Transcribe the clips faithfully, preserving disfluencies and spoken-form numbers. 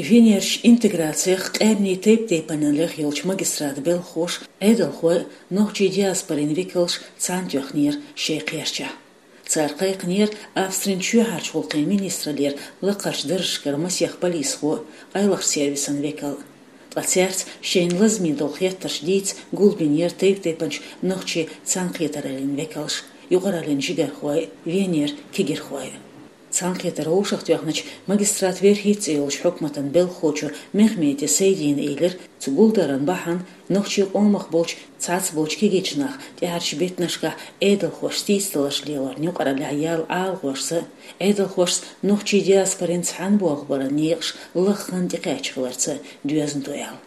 Венерчу интеграцех къаьмнийн тайп-тайпанна лехъеллачу магистрата белхалоша, Ӏедалхой а, нохчийн диаспорин векалша цхьаьна тоьхнера шайн кхерчахь. Цара кхайкхинера Австрин чоьхьарчу гӀуллакхийн министраллера лакхарчу даржашкара масех полисхо а, къайлахчу сервисан векал а. Ткъа цаьрца шайна лазаме долу хеттарш дийца гулбинера тайп-тайпанчу нохчийн цхьаьнакхетараллин векалша, юкъараллин жигархой а, Венера кегирхой а. Цхьаьнакхетар вовшахтоьхначу магистрата верхӀитта цӀе йолчу хьукматан белхалочо Мехмеди Сайдина элира, цу гулдаран бахьана нохчийн къомах болчу цхьацца болчу кегийчу наха тӀаьхьарчу беттанашкахь Ӏедалхошца сийсаздаларш лелорна юкъараллехь яьлла Ӏалашонца а, Ӏедалхошца нохчийн диаспорин цхьаьна болх баран некъаш лаххана тӀекхаьчна хиларца а доьзна ду аьлла.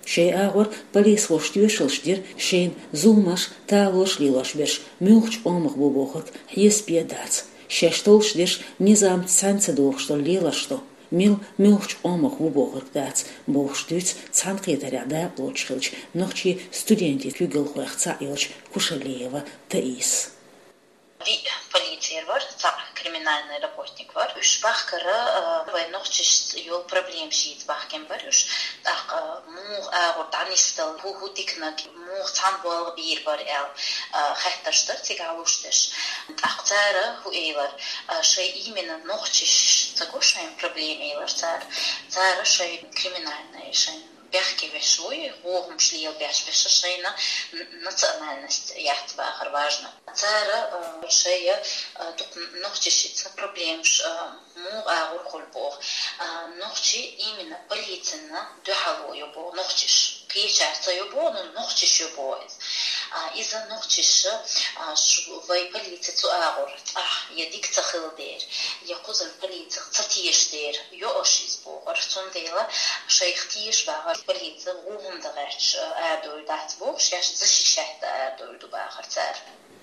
Шайн агӀор полисхоша тоьшаллаш дира, шайна зуламаш, талорш лелош берш муьлхачу къомах бу бохург хьесапе а дац. Шаьш толлуш дерш низамца цхьаьна ца дохуш долу леларш ду. Мила муьлхачу къомах ву бохург дац, бохуш дуьйцу цхьаьнакхетарехь дакъалоцуш хиллачу нохчийн студентийн куьйгалхойх цхьаъ йолчу Кушалиева Таисас. Виъ полицейр вара, цхьаъ криминальный работник вара. Уьш бахкара, а, вайн нохчашца йолу проблемаш йийца бахкина бара уьш. ТӀаккха муха агӀор дӀанисдала, хӀу-, хӀун диканиг, муха цхьаьна болх бийр бара аьлла, а, хаттарш дара цигахь луш дерш. ТӀаккха цара хӀун элира, а, шайн именно нохчаш ца го шайн проблема элира цара. Цара шайн криминальный, шайн бехке веш вуй, вохамаш лелабеш берш шайна н-, национальность яц бахара важно. Цара, а, шайна, а, дукха нохчашца проблемаш, а, муха агӀор хуьлу боху. А, нохчий именно полицина дуьхьало ю боху нохчаш. Кхечара ца ю боху, но нохчаш ю боху иза. А, иза нохчаш, а, ш-, вай полици цу агӀор цӀахь я дика ца хилла дера, я кхузара полицих ца теша дера, йо аша иза бохура. Цундела шайх теша бахара полици гӀу хӀума дан гӀерташ арадевр дац бохуш, шаьш защищать дан арадевр ду бахара цара.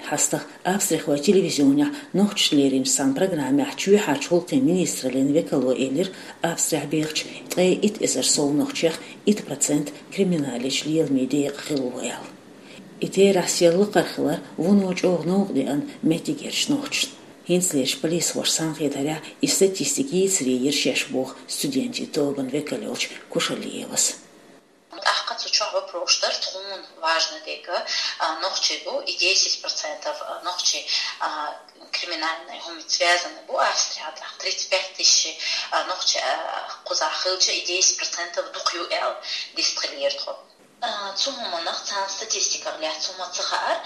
ХьастагӀа Австрехойн телевизионехь нохчашна леринчу цхьана программехь чоьхьарчу гӀуллакхийн министраллин векало элира, Австрехь бехачу ткъе итт эзар сов нохчех итт процент криминалечу леламийн декъахь хилла ву аьлла. И терахь сел лакхара хилар вуно чӀогӀа новкъа деана меттигерчу нохчашна. ХӀинцалерчу полисхоша цхьаьнакхетарехь и статистика йийцаре йира шаьш боху студентийн тобанан векал йолчу Кушалиевас. ТӀаккха цу чохь вопрос дара тхуна важно дерг, а, нохчий бу, и десять процентов, а, нохчий, а, криминальный хӀумаца связаны бу Австрехь, тӀаккха тридцать пять тысяч, а, нохчий, а, кхузахь хилча, и десять процентов дукха ю аьлла дистхилийра тхо. А, цу хӀуманах царна статистиках лаьцна хӀума ца хаьара,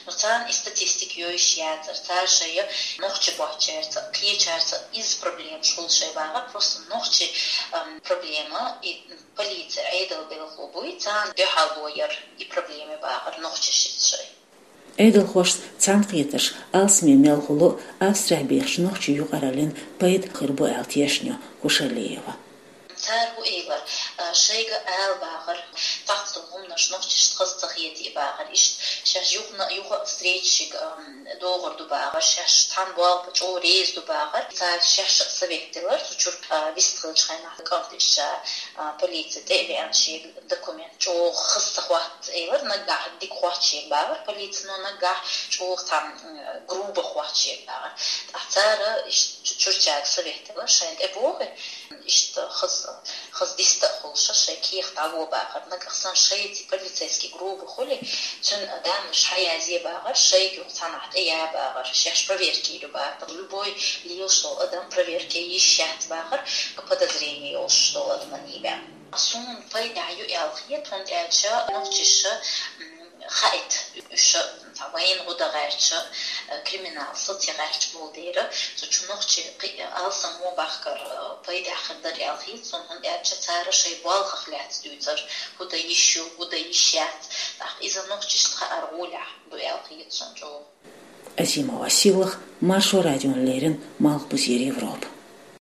но царна и статистика йовзаш яцара, цара шайн нохчий боцчаьрца, кхечаьрца иза проблемаш хуьлу шайн бахара, просто нохчий, ам, проблема и полици Ӏедал белхало буй, царна дуьхьало яр и проблема бахара нохчашца шайн. Ӏедалхошца цхьаьнакхетарш алсаме мел хуьлу а, Австрехь бехачу нохчийн юкъараллин пайда хир бу аьлла тешна ю Кушалиева. Цара хӀун элира, а, шайга ала бахара, цхьацца долу хӀуманаш нохчашна хаза ца хетий бахара. Иштта шаьш юха а, юха а встречашка, ам, догӀур ду бахара, шаьш цхьаьна болх бан чӀогӀа реза ду бахара. Цара шаьш а совет делира, цу чуьра, а, вистхилчу хенахь кӀант ишша, а, полици тӀе а веана шега документ чӀогӀа хаза ца хотту элира, наггахь дика хоттуш бахара полици, но наггахь чӀогӀа цхьаьна, м, грубо хоттуш бахара. ТӀаккха цара иштта чу-, чуьрчаьрга совет делира, шайна тӀе богӀий, иштта хаза, хаза диста а хуьлуш, шайн кехат дӀало бахара. Нагахь санна шайца полицейский грубо хуьлий, цуьнан данныш хьаязъе бахара, шайга юха цхьанхьа тӀе я бахара, шаьш проверка йийр ю бахара. Любой лелаш долу адам проверка йиш яц бахара, подозрение йолуш долу адаман йийбаьхна. Суна пайда ю аьлла хета, хӀунда аьлча нохчаша, м, хаийта, уьш цхьа вайна гӀо дан гӀерташ, э, криминал сацо гӀерташ болу дела, цу чу нохчий кхин а алсам мо бахкар, э, пайда хир дара аьлла хета суна, хӀунда аьлча цара шайн болхах лаьцна дуьйцура, хӀун дан йиш ю, хӀун дан йиш яц, тӀаккха иза нохчашна хаар гӀолехь ду аьлла хета суна чӀогӀа. Азимова Сийлаха, Маршо радиона леррина, Малхбузера Европа.